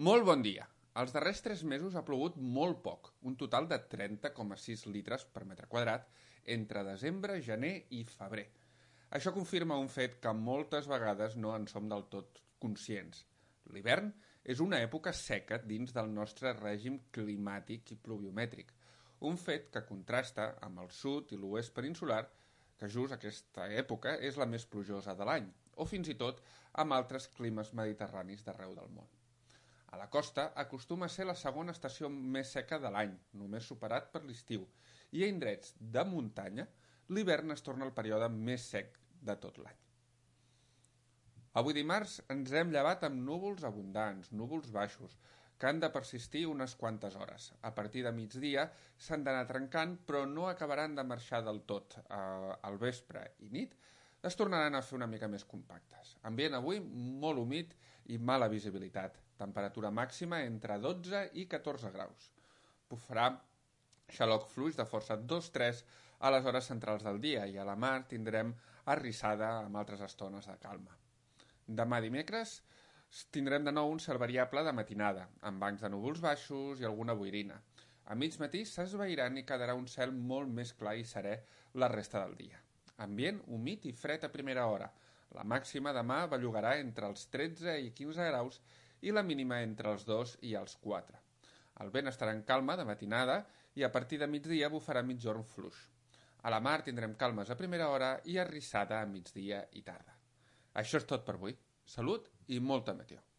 Molt bon dia. Els darrers 3 mesos ha plogut molt poc, un total de 30,6 litres per metre quadrat entre desembre, gener i febrer. Això confirma un fet que moltes vegades no en som del tot conscients. L'hivern és una època seca dins del nostre règim climàtic i pluviomètric, un fet que contrasta amb el sud i l'oest peninsular, que just aquesta època és la més plujosa de l'any, o fins i tot amb altres climes mediterranis d'arreu del món. A la costa acostuma a ser la segona estació més seca de l'any, només superat per l'estiu, i a indrets de muntanya l'hivern es torna el període més sec de tot l'any. Avui dimarts ens hem llevat amb núvols abundants, núvols baixos, que han de persistir unes quantes hores. A partir de migdia s'han d'anar trencant, però no acabaran de marxar del tot. Al vespre i nit es tornaran a fer una mica més compactes. Ambient avui molt humit i mala visibilitat. Temperatura màxima entre 12 i 14 graus. Bufarà xaloc fluix de força 2-3 a les hores centrals del dia i a la mar tindrem arrissada amb altres estones de calma. Demà dimecres tindrem de nou un cel variable de matinada, amb bancs de núvols baixos i alguna boirina. A mig matí s'esvairan i quedarà un cel molt més clar i serè la resta del dia. Ambient humit i fred a primera hora. La màxima demà bellugarà entre els 13 i 15 graus i la mínima entre els 2 i els 4. El vent estarà en calma de matinada i a partir de migdia bufarà migjorn fluix. A la mar tindrem calmes a primera hora i arrissada a migdia i tarda. Això és tot per avui. Salut i molta meteo.